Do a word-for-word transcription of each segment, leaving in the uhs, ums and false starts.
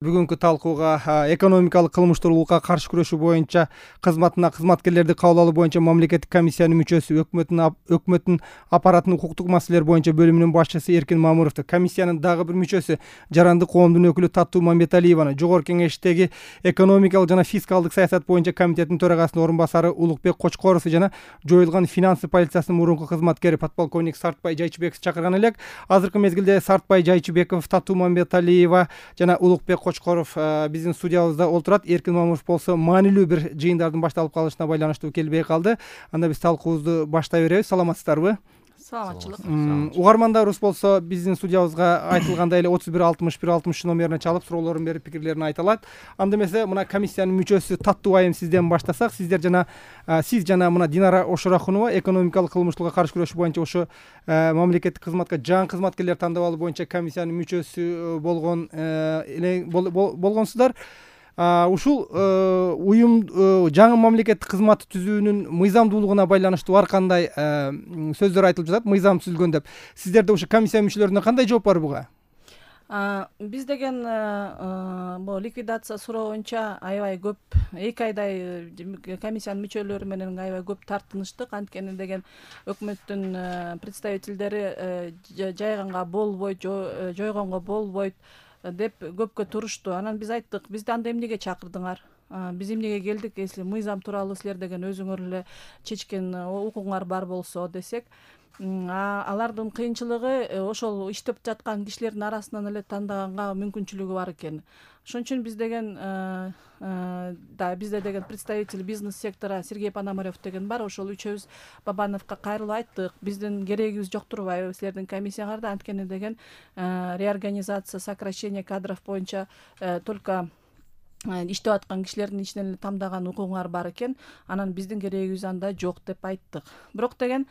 Бүгүнкү талкууга экономикалык кылмыштуулукка каршы күрөшүү боюнча кызматына кызматкерлерди кабыл алуу боюнча мамлекеттик комиссиянын мүчөсү, өкмөттүн өкмөттүн аппаратынын укуктук маселелер боюнча бөлүмүнүн башчысы Эркин Мамуровду, комиссиянын дагы бир мүчөсү Жарандык коомдун өкүлү Таттуу Мамбеталиеваны, Жогорку Кеңештеги экономикалык жана фискалдык саясат боюнча комитеттин төрагасынын орун басары Улукбек Кочкоровду жана жоюлган финансы полициясынын мурунку кызматкери подполковник Сартбай Жайчыбековду чакырган элек. Азыркы мезгилде Сартбай Жайчыбеков, Таттуу Мамбеталиева жана Улукбек Кочкоров биздин студиябызда олтурат. Эркин Мамуров болсо маанилүү бир жыйындардын башталып калышына байланыштуу келбей калды. Анда биз талкуубузду баштай беребиз. Саламатсыздарбы? Саламатчылык. Угармандарыбыз болсо биздин студиябызга айтылгандай эле отуз бир алтымыш бир алтымыш үч номерине чалып суроолорун берип пикирлерин айта алат. Анда эмесе мына комиссиянын мүчөсү Таттуу айым сизден баштасак, сиздер жана сиз жана мына Динара Ошорахунова экономикалык кылмыштуулукка каршы күрөшүү боюнча ошо мамлекеттик кызматка жаңы кызматкерлер тандап алуу боюнча комиссиянын мүчөсү болгон болгонсуздар. Ушул уюм жаңы мамлекеттик кызматты түзүүнүн мыйзамдуулугуна байланыштуу ар кандай сөздөр айтылып жатат, мыйзам түзүлгөн деп. Сиздерде ошо комиссия мүчөлөрүнөн кандай жооп бар буга? Биз деген бул ликвидация суроо боюнча аябай көп, эки айдай комиссиянын мүчөлөрү менен аябай көп тартыныштык. Анткени деген өкмөттүн представителдери жайганга болбойт, жойгонго болбойт деп көпкө турушту. Анан биз айттык, бизди анда эмнеге чакырдыңар? Биз эмнеге келдик? Если мыйзам тууралуу силер деген өзүңөр эле чечкен укугуңар бар болсо десек, алардын кыйынчылыгы ошол иштеп жаткан кишилердин арасынан эле тандаганга мүмкүнчүлүгү бар экен. Ошон үчүн биз деген да бизде деген представитель бизнес сектора Сергей Пономарев деген бар. Ошол үчөөбүз Бабановго кайрылып айттык, биздин керегибиз жок турбайбы силердин комиссияңарда, анткени деген реорганизация, сокращение кадров боюнча только иштеп аткан кишилердин ичинен эле тамдаган укугуңар бар экен. Анан биздин керегибиз анда жок деп айттык. Бирок деген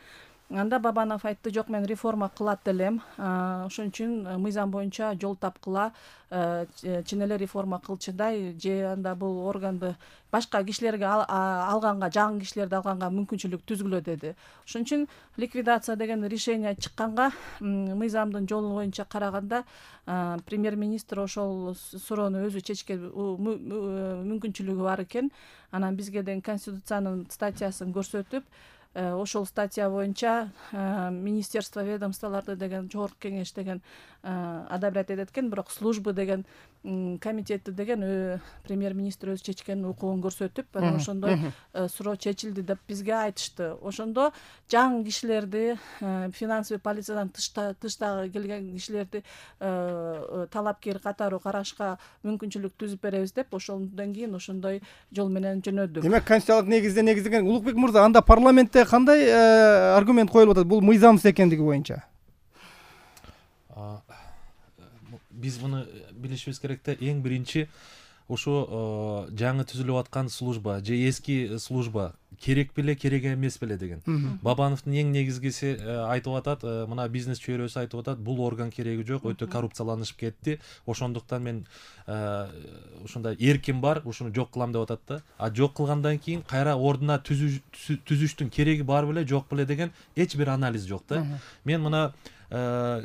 анда Бабанов айтты, жок, мен реформа кылат элем, ошон үчүн мыйзам боюнча жол тапкыла, чын эле реформа кылчыдай, же анда бул органды башка кишилерге алганга, жаңы кишилерди алганга мүмкүнчүлүк түзгүлө деди. Ошон үчүн ликвидация деген решение чыкканга, мыйзамдын жолу боюнча караганда премьер-министр ошол суроону өзү чечке мүмкүнчүлүгү бар экен. Анан бизге деген конституциянын статьясын көрсөтүп, ошол статья боюнча министерство, ведомстволорду деген Жогорку Кеңеш деген одобрять этет экен, бирок службы деген комитети деген премьер-министр өзү чечкен укугун көрсөтүп, анан ошондой суроо чечилди деп бизге айтышты. Ошондо жаңы кишилерди, финансовый полициядан тыштагы келген кишилерди талапкер катары карашка мүмкүнчүлүк түзүп беребиз деп, ошондон кийин ошондой жол менен жөнөдүк. Демек конституциялык негизде негизделген. Улукбек мырза, анда парламентте кандай аргумент коюлуп атат бул мыйзамсыз экендиги боюнча? Биз муну билишибиз керек да, эң биринчи ошо жаңы түзүлүп аткан служба же эски служба керек беле, керек эмес беле деген. Бабановдун эң негизгиси айтып атат, мына бизнес чөйрөсү айтып атат, бул орган кереги жок, өтө коррупцияланышып кетти. Ошондуктан мен ушундай эркин бар, ушуну жок кылам деп атат да. А жок кылгандан кийин кайра ордуна түзүштүн кереги бар беле, жок беле деген эч бир анализ жок да. Мен мына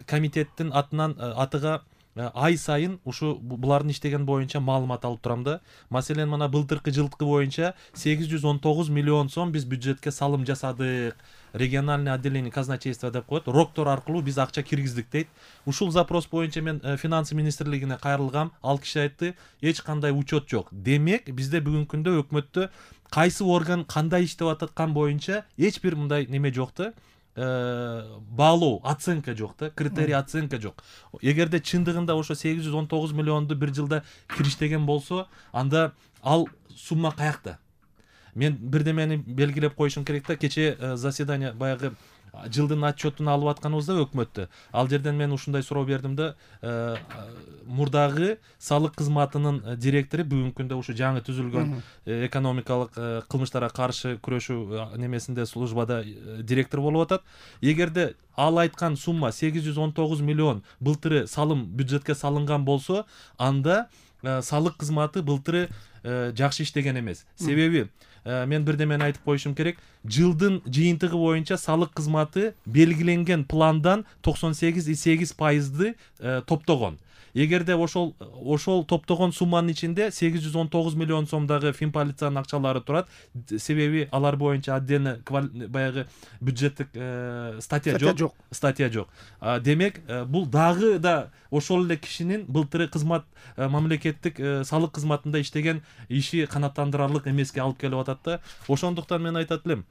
комитеттин атынан атыга ай сайын ушу булардын иштеген боюнча маалымат алып турам да. Маселен, мына былтыркы жылкы боюнча сегиз жүз он тогуз миллион сом биз бюджетке салым жасадык. Региональный отделение казначейства деп коет, роктор аркылуу биз акча киргиздик дейт. Ушул запрос боюнча мен финансы министрлигине кайрылгам. Ал киши айтты, эч кандай учет жок. Демек, бизде бүгүнкү күндө өкмөттө кайсы орган кандай иштеп аткан боюнча эч бир мындай неме жок да. Баалоо, оценка жок да, критерий оценка жок. Эгерде чындыгында ошо сегиз жүз он тогуз миллионду бир жылда кириштеген болсо, анда ал сумма каякта? Мен бирдемени белгилеп коюшум керек да. Кече заседание баягы жылдын отчетун алып атканыбызда өкмөттө, ал жерден мен ушундай суроо бердим да, мурдагы салык кызматынын директору бүгүнкү күндө ушу жаңы түзүлгөн экономикалык кылмыштарга каршы күрөшүү немесинде службада директор болуп атат. Эгерде ал айткан сумма сегиз жүз он тогуз миллион былтыры салым бюджетке салынган болсо, анда салык кызматы былтыры жакшы иштеген эмес. Себеби мен бирдемени айтып коюшум керек. Жылдын жыйынтыгы боюнча салык кызматы белгиленген пландан токсон сегиз и сегиз пайызды топтогон. Эгерде ошол ошол топтогон сумманын ичинде сегиз жүз он тогуз миллион сомдогу финполициянын акчалары турат. Себеби алар боюнча отдельно баягы бюджеттик статья жок. Статья жок. Демек, бул дагы да ошол эле кишинин былтыры кызмат мамлекеттик салык кызматында иштеген иши канааттандырарлык эмеске алып келип атат да. Ошондуктан мен айтат элем,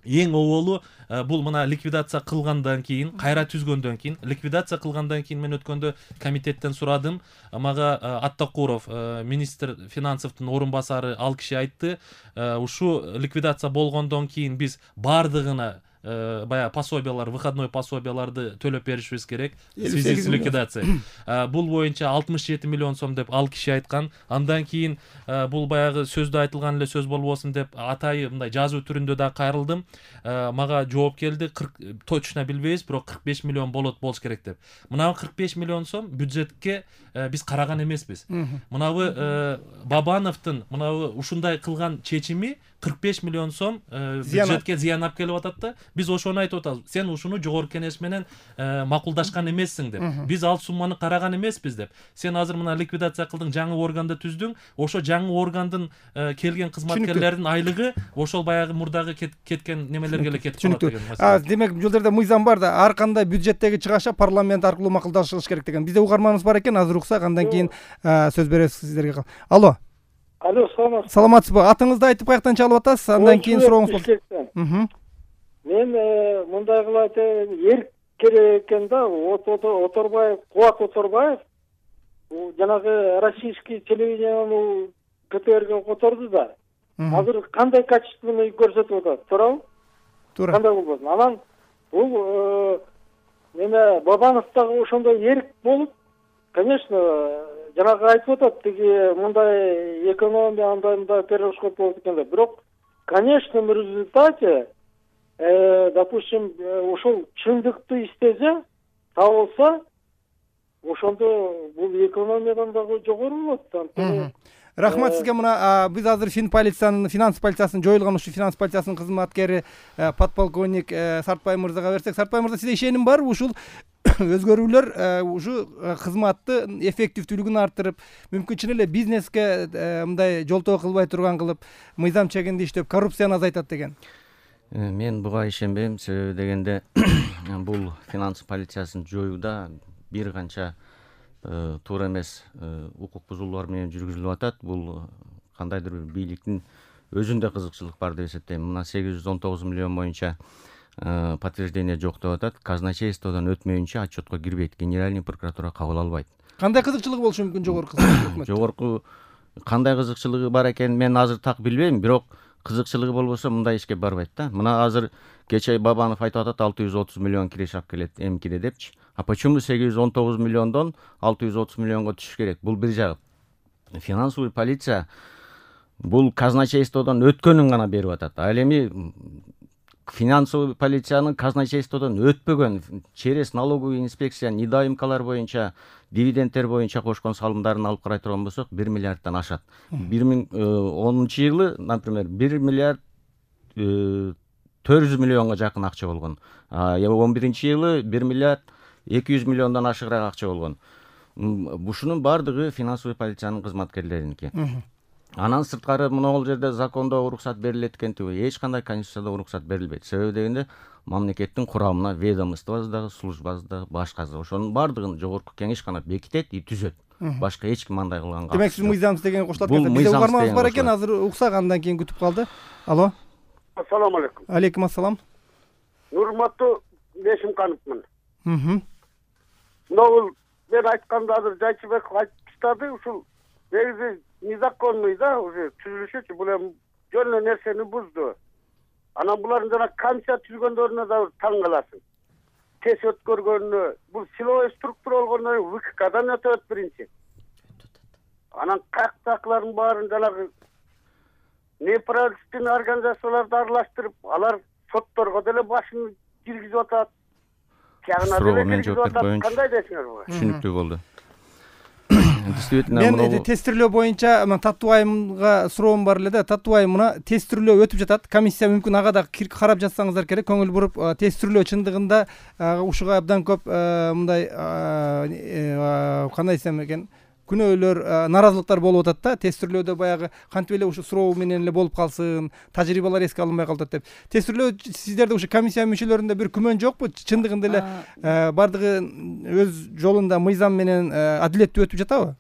эң оболу бул мына ликвидация кылгандан кийин, кайра түзгөндөн кийин, ликвидация кылгандан кийин мен өткөндө комитеттен сурадым. Мага Аттакуров, министр финансовдун орун басары, ал киши айтты, ушу ликвидация болгондон кийин биз бардыгына баягы пособиялар, выходной пособияларды төлөп беришибиз керек в связи с ликвидацией. Бул боюнча алтымыш жети миллион сом деп ал киши айткан. Андан кийин бул баягы сөздө айтылган эле сөз болбосун деп атайы мындай жазуу түрүндө да кайрылдым. Мага жооп келди, точно билбейбиз, бирок кырк беш миллион болот болуш керек деп. Мына кырк беш миллион сом бюджетке биз караган эмеспиз. Мынабы Бабановдун мынабы ушундай кылган чечими кырк беш миллион сом бюджетке зыян алып келип атат да. Биз ошону айтып атабыз. Сен ушуну жогорку кеңеш менен макулдашкан эмессиң деп. Биз ал сумманы караган эмеспиз деп. Сен азыр мына ликвидация кылдың, жаңы органды түздүң. Ошо жаңы органдын келген кызматкерлердин айлыгы ошол баягы мурдагы кеткен немелерге эле кетип калат деген маселе. Демек, бул жерде мыйзам бар да, ар кандай бюджеттеги чыгаша парламент аркылуу макулдашылыш керек деген. Бизде угарманыбыз бар экен, азыр уксак, андан кийин сөз беребиз сиздерге. Алло. Алло, саламатсызбы? Саламатсызбы? Атыңызды айтып каяктан чалып атасыз? Андан кийин сурооңуз болсун. Мен мындай кылып айтайын, эрк керек экен да, Оторбаев, Кубат Оторбаев жанагы российский телевидениени КТРге которду да. Азыр кандай качественный көрсөтүп атат, туурабы? Туура. Кандай болбосун? Анан бул эме Бабанов дагы ошондой эрк болуп, конечно, жанагы айтып атат, тиги мындай экономия андай мындай перерасход болот экен деп. Бирок, конечно, в результате допустим, ошол чындыкты иштесе, табылса, ошондо бул экономиядан дагы жогору болот. Рахмат сизге. Мына биз азыр финполициянын, финанс полициясынын жоюлган ушу финанс полициясынын кызматкери подполковник Сартбай мырзага берсек. Сартбай мырза, сизде ишеним барбы ушул өзгөрүүлөр ушу кызматты эффективдүүлүгүн арттырып, мүмкүн чын эле бизнеске мындай жолтоо кылбай турган кылып, мыйзам чегинде иштеп, коррупцияны азайтат деген? Мен буга ишенбейм. Себеби дегенде бул финанс полициясын жоюуда бир канча туура эмес укук бузуулар менен жүргүзүлүп атат. Бул кандайдыр бир бийликтин өзүндө кызыкчылык бар деп эсептейм. Мына сегиз жүз он тогуз миллион боюнча подтверждение жок деп атат. Казначействодон өтмөйүнчө отчетко кирбейт. Генеральный прокуратура кабыл албайт. Кандай кызыкчылыгы болушу мүмкүн жогорку кызмат? Жогорку кандай кызыкчылыгы бар экенин мен азыр так билбейм, бирок кызыкчылыгы болбосо мындай ишке барбайт да. Мына азыр кече Бабанов айтып атат, алты жүз отуз миллион киреш алып келет эмкиде депчи. А почему сегиз жүз он тогуз миллиондон алты жүз отуз миллионго түшүш керек? Бул бир жагы. Финансовый полиция бул казначействодон өткөнүн гана берип атат. Ал эми финансовый полициянын казначействодон өтпөгөн через налоговый инспекция недоимкалар боюнча, дивидендтер боюнча кошкон салымдарын алып карай турган болсок, бир миллиарддан ашат. бир миң онунчу жылы, например, бир миллиард төрт жүз миллионго жакын акча болгон. он биринчи жылы бир миллиард эки жүз миллиондон ашыгыраак акча болгон. Ушунун бардыгы финансовый полициянын кызматкерлериники. Анан сырткары могул жерде закондо уруксат берилет экен, эч кандай конституцияда уруксат берилбейт. Себеби дегенде мамлекеттин курамына ведомствобуз дагы, службабыз дагы, башкасы ошонун бардыгын жогорку кеңеш гана бекитет и түзөт. Башка эч ким андай кылганга. Демек сиз мыйзамсыз деген кошулат экенсиз. Бизде угарманыбыз бар экен, азыр уксак, андан кийин күтүп калды. Алло. Ассаламу алейкум. Алейкум ассалам. Нурматтуу Бешимкановмун. Мм. Могул мен айтканда азыр Жайчыбеков айтып таштады, ушул негизи незаконный да, уже түзүлүшүчү, бул эми жөн эле нерсени бузду. Анан булардын жана комиссия түзгөндөрүнө да таң каласың. Тез өткөргөнүнө, бул силовой структура болгондон кийин ВКдан өтөт биринчи. Анан каяктакылардын баарын жанагы неправительственный организацияларды аралаштырып, алар сотторго деле башын киргизип атат. Тягына деле киргизип атат. Кандай десиңер буга? Түшүнүктүү болду. действительно мен тестирлөө боюнча мына Татуу айымга суроом бар эле да. Татуу айым, мына тестирлөө өтүп жатат. Комиссия мүмкүн ага да кирип карап жатсаңыздар керек, көңүл буруп. Тестирлөө чындыгында ушуга абдан көп мындай кандай десем экен, күнөөлөр, нааразылыктар болуп атат да. Тестирлөөдө баягы кантип эле ушу суроо менен эле болуп калсын, тажрыйбалар эске алынбай калат деп. Тестирлөө сиздерде ушу комиссия мүчөлөрүндө бир күмөн жокпу? Чындыгында эле бардыгы өз жолунда мыйзам менен адилеттүү өтүп жатабы?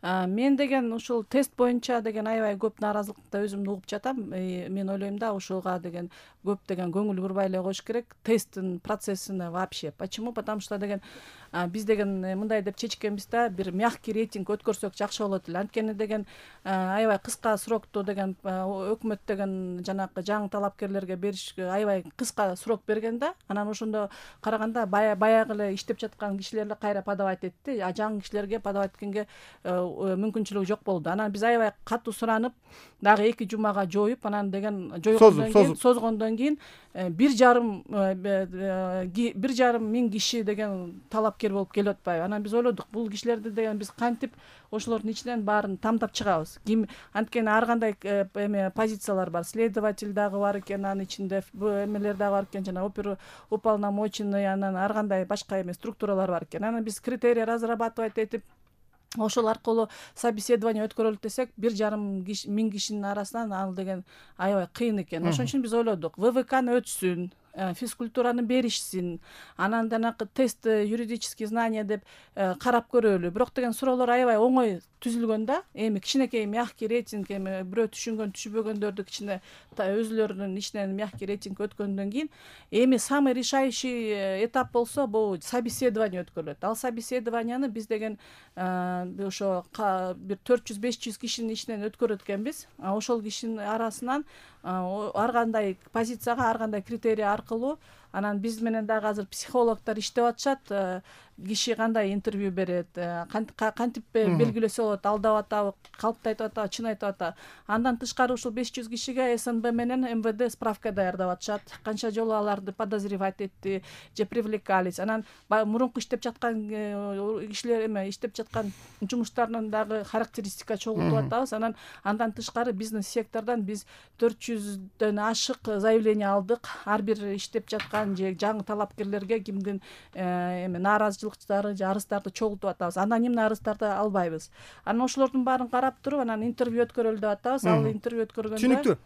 Мен деген ушул тест боюнча деген аябай көп нааразылыкты өзүм угуп жатам. Мен ойлойм да ушуга деген көп деген көңүл бурбай эле коюш керек. Тесттин процессине вообще. Почему? Потому что деген биз деген мындай деп чечкенбиз да, бир мягкий рейтинг өткөрсөк жакшы болот эле. Анткени деген аябай кыска срокту деген өкмөт деген жанагы жаңы талапкерлерге бериш аябай кыска срок берген да. Анан ошондо караганда баягы эле иштеп жаткан кишилер эле кайра подавать этти. А жаңы кишилерге подавать эткенге мүмкүнчүлүгү жок болду. Анан биз аябай катуу суранып, дагы эки жумага жоюп, анан деген жойгондон кийин, созгондон кийин бир жарым бир жарым миң киши деген талапкер болуп келип атпайбы. Анан биз ойлодук, бул кишилерди деген биз кантип ошолордун ичинен баарын тамдап чыгабыз. Ким анткени ар кандай эме позициялар бар. Следователь дагы бар экен, анын ичинде эмелер дагы бар экен, жана оперуполномоченный, анан ар кандай башка эме структуралар бар экен. Анан биз критерий разрабатывать этип, ошол аркылуу собеседование өткөрөлүт десек, бир жарым миң кишинин арасынан ал деген аябай кыйын экен. Ошон үчүн биз ойлодук, ВВКны өтсүн, физкультураны беришсин, анан жанагы тест юридические знания деп карап көрөлү. Бирок деген суроолор аябай оңой түзүлгөн да. Эми кичинекей мягкий рейтинг, эми бирөө түшүнгөн түшүнбөгөндөрдү кичине өзүлөрүнүн ичинен мягкий рейтинг өткөндөн кийин, эми самый решающий этап болсо бул собеседование өткөрүлөт. Ал собеседованияны биз деген ошо бир төрт жүз беш жүз кишинин ичинен өткөрөт экенбиз. Ошол кишинин арасынан ар кандай позицияга, ар кандай критерий аркылуу, анан биз менен дагы азыр психологдор иштеп атышат. Киши кандай интервью берет, кантип белгилесе болот, алдап атабы, калпты айтып атабы, чын айтып атабы. Андан тышкары ушул беш жүз кишиге СНБ менен МВД справка даярдап атышат. Канча жолу аларды подозревать этти же привлекались. Анан мурунку иштеп жаткан кишилер эме иштеп жаткан жумуштарынын дагы характеристика чогултуп атабыз. Анан андан тышкары бизнес сектордон биз төрт жүздөн ашык заявление алдык. Ар бир иштеп жаткан же жаңы талапкерлерге кимдин эме нааразычылыктары же арыздарды чогултуп атабыз. Анонимный арыздарды албайбыз. Анан ошолордун баарын карап туруп, анан интервью өткөрөлү деп атабыз. Ал интервью өткөргөндө түшүнүктүү.